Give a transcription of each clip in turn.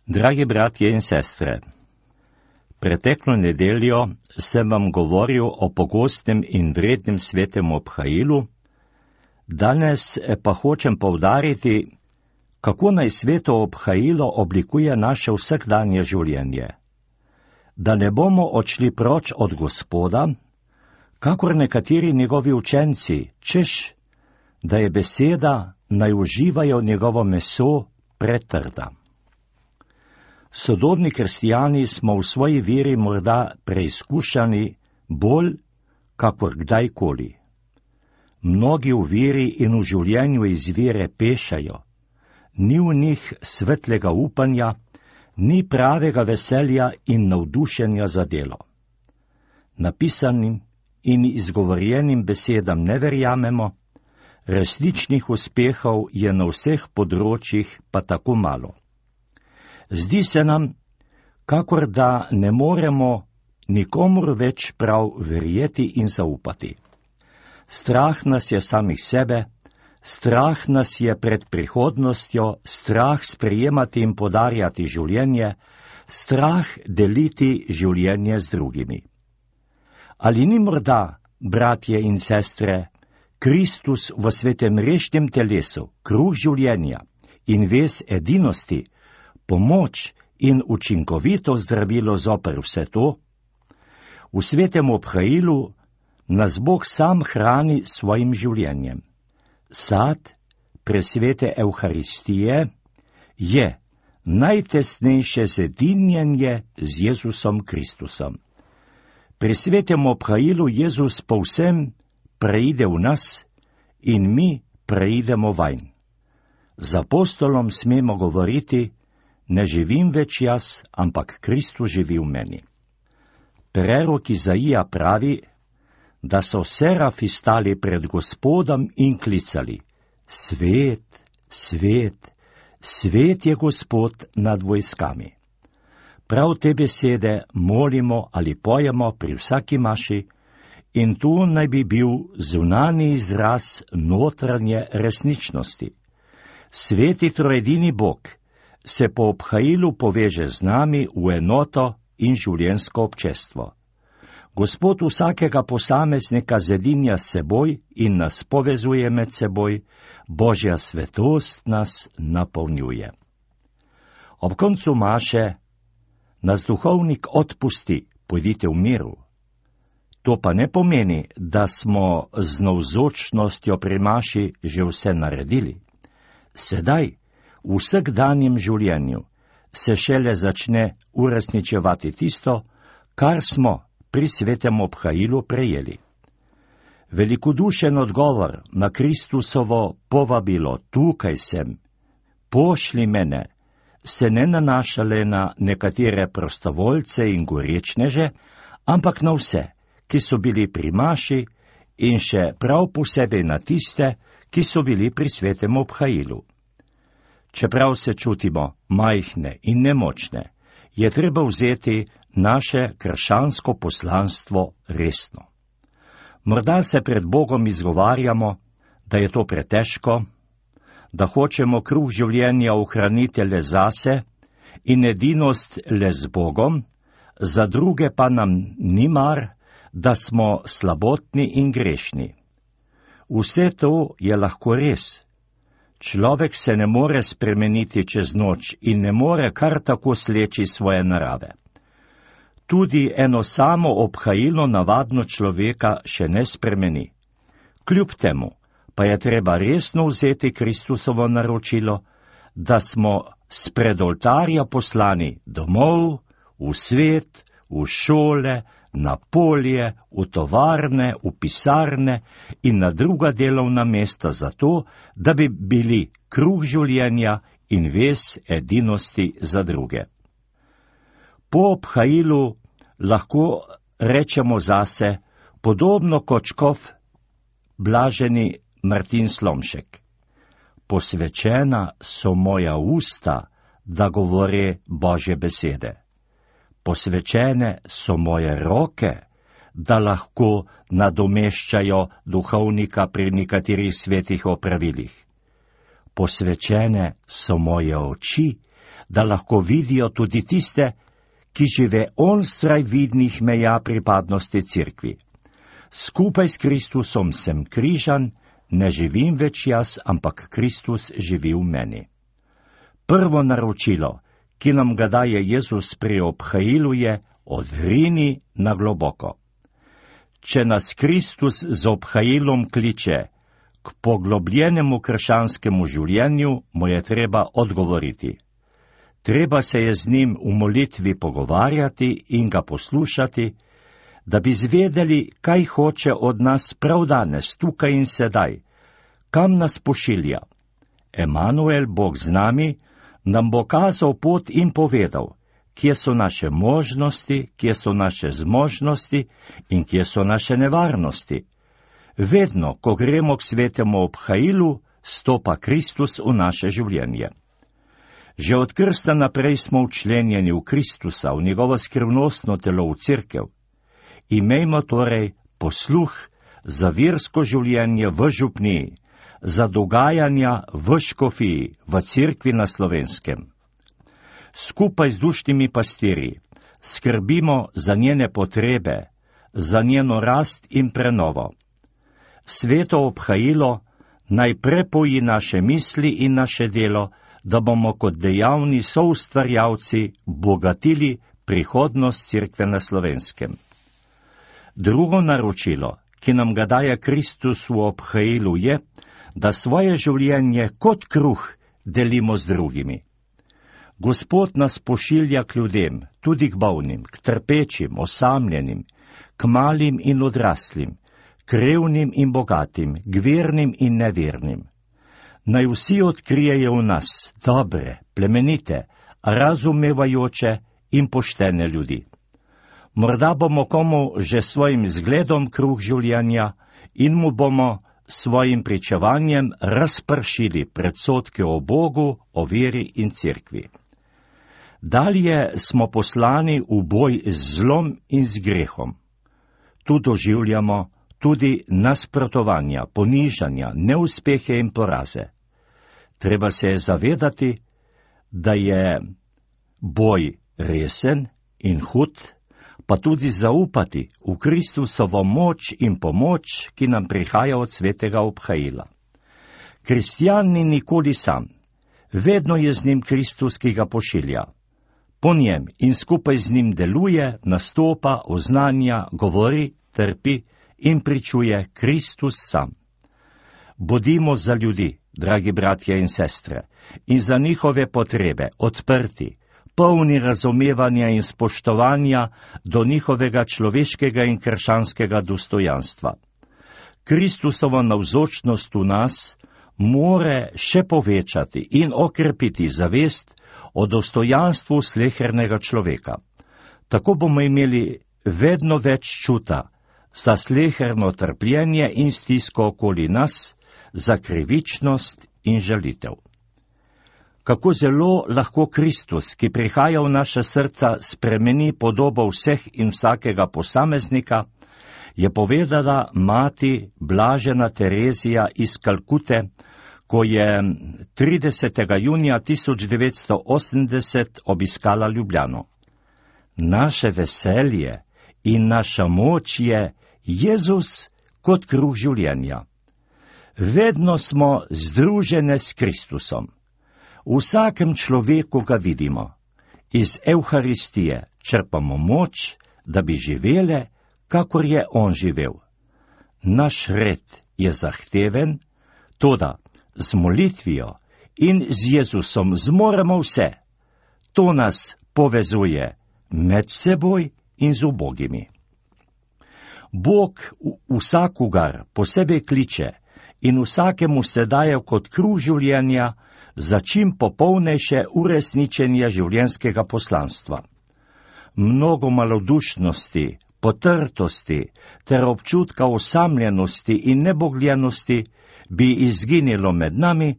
Dragi bratje in sestre, preteklo nedeljo sem vam govoril o pogostnem in vrednem svetem obhajilu, danes pa hočem poudariti, kako naj sveto obhajilo oblikuje naše vsakdanje življenje. Da ne bomo odšli proč od Gospoda, kakor nekateri njegovi učenci, češ, da je beseda, naj uživajo njegovo meso pretrda. Sodobni kristijani smo v svoji veri morda preizkušani bolj, kakor kdajkoli. Mnogi v veri in v življenju iz vere pešajo, ni v njih svetlega upanja, ni pravega veselja in navdušenja za delo. Napisanim in izgovorjenim besedam ne verjamemo, resničnih uspehov je na vseh področjih pa tako malo. Zdi se nam, kakor da ne moremo nikomur več prav verjeti in zaupati. Strah nas je samih sebe, strah nas je pred prihodnostjo, strah sprejemati in podarjati življenje, strah deliti življenje z drugimi. Ali ni morda, bratje in sestre, Kristus v svetem rešnem telesu, kruh življenja in vez edinosti, pomoč in učinkovito zdravilo zoper vse to? V svetem obhajilu nas Bog sam hrani svojim življenjem. Sad presvete Evharistije je najtesnejše zedinjenje z Jezusom Kristusom. Pri svetem obhajilu Jezus povsem preide v nas in mi preidemo vanj. Z apostolom smemo govoriti, ne živim več jaz, ampak Kristus živi v meni. Prerok Izaija pravi, da so serafi stali pred Gospodom in klicali: Svet, svet, svet je Gospod nad vojskami. Prav te besede molimo ali pojemo pri vsaki maši, in tu naj bi bil zunanji izraz notranje resničnosti. Sveti trojedini Bog se po obhajilu poveže z nami v enoto in življenjsko občestvo. Gospod vsakega posameznika zedinja s seboj in nas povezuje med seboj, Božja svetost nas napolnjuje. Ob koncu maše nas duhovnik odpusti, pojdite v miru. To pa ne pomeni, da smo z navzočnostjo pri maši že vse naredili. Sedaj, v vsakdanjem življenju, se šele začne uresničevati tisto, kar smo pri svetem obhajilu prejeli. Velikodušen odgovor na Kristusovo povabilo tukaj sem, pošli mene, se ne nanaša le na nekatere prostovoljce in gorečneže, ampak na vse, ki so bili pri maši in še prav posebej na tiste, ki so bili pri svetem obhajilu. Čeprav se čutimo majhne in nemočne, je treba vzeti naše krščansko poslanstvo resno. Morda se pred Bogom izgovarjamo, da je to pretežko, da hočemo kruh življenja ohraniti le zase in edinost le z Bogom, za druge pa nam ni mar, da smo slabotni in grešni. Vse to je lahko res. Človek se ne more spremeniti čez noč in ne more kar tako sleči svoje narave. Tudi eno samo obhajilo navadno človeka še ne spremeni. Kljub temu pa je treba resno vzeti Kristusovo naročilo, da smo spred oltarja poslani domov, v svet, v šole, na polje, v tovarne, v pisarne in na druga delovna mesta zato, da bi bili kruh življenja in vez edinosti za druge. Po obhajilu lahko rečemo zase, podobno kot škof blaženi Martin Slomšek: posvečena so moja usta, da govore Božje besede. Posvečene so moje roke, da lahko nadomeščajo duhovnika pri nekaterih svetih opravilih. Posvečene so moje oči, da lahko vidijo tudi tiste, ki žive onstraj vidnih meja pripadnosti cerkvi. Skupaj s Kristusom sem križan, ne živim več jaz, ampak Kristus živi v meni. Prvo naročilo, ki nam ga daje Jezus pri obhajilu, je: odrini na globoko. Če nas Kristus z obhajilom kliče k poglobljenemu krščanskemu življenju, mu je treba odgovoriti. Treba se je z njim v molitvi pogovarjati in ga poslušati, da bi zvedeli, kaj hoče od nas prav danes, tukaj in sedaj, kam nas pošilja. Emanuel, Bog z nami, nam bo kazal pot in povedal, kje so naše možnosti, kje so naše zmožnosti in kje so naše nevarnosti. Vedno, ko gremo k svetemu obhajilu, stopa Kristus v naše življenje. Že od krsta naprej smo včlenjeni v Kristusa, v njegovo skrivnostno telo, v cerkev. Imejmo torej posluh za versko življenje v župniji, za dogajanja v škofiji, v cerkvi na Slovenskem. Skupaj z dušnimi pastirji skrbimo za njene potrebe, za njeno rast in prenovo. Sveto obhajilo naj prepoji naše misli in naše delo, da bomo kot dejavni soustvarjalci bogatili prihodnost cerkve na Slovenskem. Drugo naročilo, ki nam ga daje Kristus v obhajilu, je, da svoje življenje kot kruh delimo z drugimi. Gospod nas pošilja k ljudem, tudi k bolnim, k trpečim, osamljenim, k malim in odraslim, k revnim in bogatim, k vernim in nevernim. Naj vsi odkrijejo v nas dobre, plemenite, razumevajoče in poštene ljudi. Morda bomo komu že svojim zgledom kruh življenja in mu bomo svojim pričevanjem razpršili predsodke o Bogu, o veri in cerkvi. Dalje smo poslani v boj z zlom in z grehom. Tu doživljamo tudi nasprotovanja, ponižanja, neuspehe in poraze. Treba se je zavedati, da je boj resen in hud, pa tudi zaupati v Kristusovo moč in pomoč, ki nam prihaja od svetega obhajila. Kristjan ni nikoli sam, vedno je z njim Kristus, ki ga pošilja. Po njem in skupaj z njim deluje, nastopa, oznanja, govori, trpi in pričuje Kristus sam. Bodimo za ljudi, dragi bratje in sestre, in za njihove potrebe odprti, polni razumevanja in spoštovanja do njihovega človeškega in krščanskega dostojanstva. Kristusova navzočnost v nas more še povečati in okrepiti zavest o dostojanstvu slehernega človeka. Tako bomo imeli vedno več čuta za sleherno trpljenje in stisko okoli nas, za krivičnost in žalitev. Kako zelo lahko Kristus, ki prihaja v naša srca, spremeni podobo vseh in vsakega posameznika, je povedala mati blažena Terezija iz Kalkute, ko je 30. junija 1980 obiskala Ljubljano. Naše veselje in naša moč je Jezus kot kruh življenja. Vedno smo združene s Kristusom. V vsakem človeku ga vidimo. Iz Evharistije črpamo moč, da bi živele, kakor je on živel. Naš red je zahteven, toda z molitvijo in z Jezusom zmoremo vse. To nas povezuje med seboj in z ubogimi. Bog vsakogar posebej kliče in vsakemu se daje kot kruh življenja za čim popolnejše uresničenje življenjskega poslanstva. Mnogo malodušnosti, potrtosti ter občutka osamljenosti in nebogljenosti bi izginilo med nami,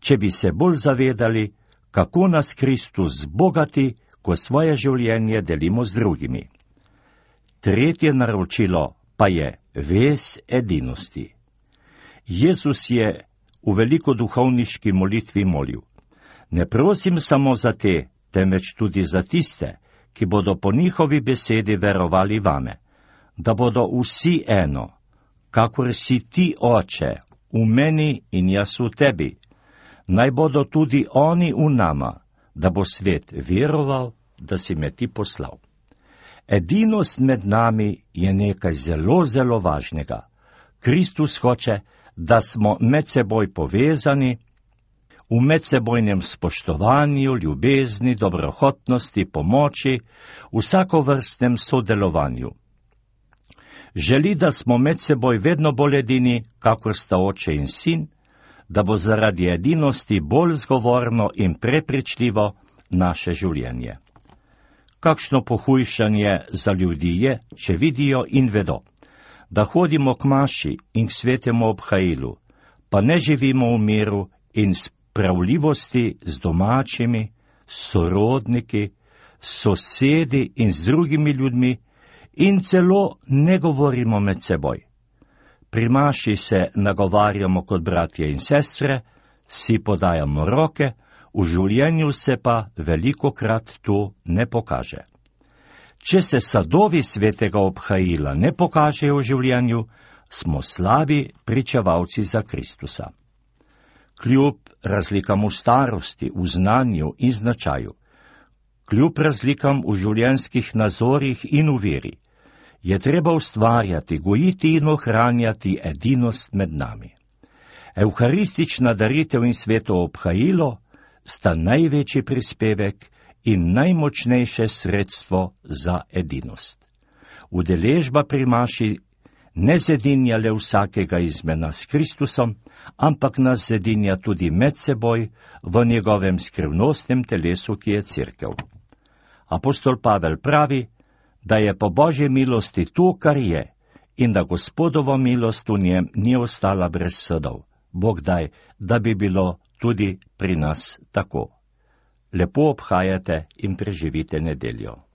če bi se bolj zavedali, kako nas Kristus bogati, ko svoje življenje delimo z drugimi. Tretje naročilo pa je vez edinosti. Jezus je v velikoduhovniški molitvi molil: Ne prosim samo za te, temveč tudi za tiste, ki bodo po njihovi besedi verovali vame, da bodo vsi eno, kakor si ti, Oče, v meni in jaz v tebi. Naj bodo tudi oni v nama, da bo svet veroval, da si me ti poslal. Edinost med nami je nekaj zelo, zelo važnega. Kristus hoče, da smo med seboj povezani, v medsebojnem spoštovanju, ljubezni, dobrohotnosti, pomoči, vsakovrstnem sodelovanju. Želi, da smo med seboj vedno bolj edini, kakor sta oče in sin, da bo zaradi edinosti bolj zgovorno in prepričljivo naše življenje. Kakšno pohujšanje za ljudi je, če vidijo in vedo, da hodimo k maši in k svetemu obhajilu, pa ne živimo v miru in spravljivosti z domačimi, sorodniki, sosedi in z drugimi ljudmi in celo ne govorimo med seboj. Pri maši se nagovarjamo kot bratje in sestre, si podajamo roke, v življenju se pa velikokrat to ne pokaže. Če se sadovi svetega obhajila ne pokažejo v življenju, smo slabi pričevalci za Kristusa. Kljub razlikam v starosti, v znanju in značaju, kljub razlikam v življenjskih nazorih in v veri, je treba ustvarjati, gojiti in ohranjati edinost med nami. Evharistična daritev in sveto obhajilo sta največji prispevek in najmočnejše sredstvo za edinost. Udeležba pri maši ne zedinja le vsakega izmed nas s Kristusom, ampak nas zedinja tudi med seboj v njegovem skrivnostnem telesu, ki je Cerkev. Apostol Pavel pravi, da je po Božji milosti to, kar je, in da Gospodova milost v njem ni ostala brez sadov. Bog daj, da bi bilo tudi pri nas tako. Lepo obhajate in preživite nedeljo.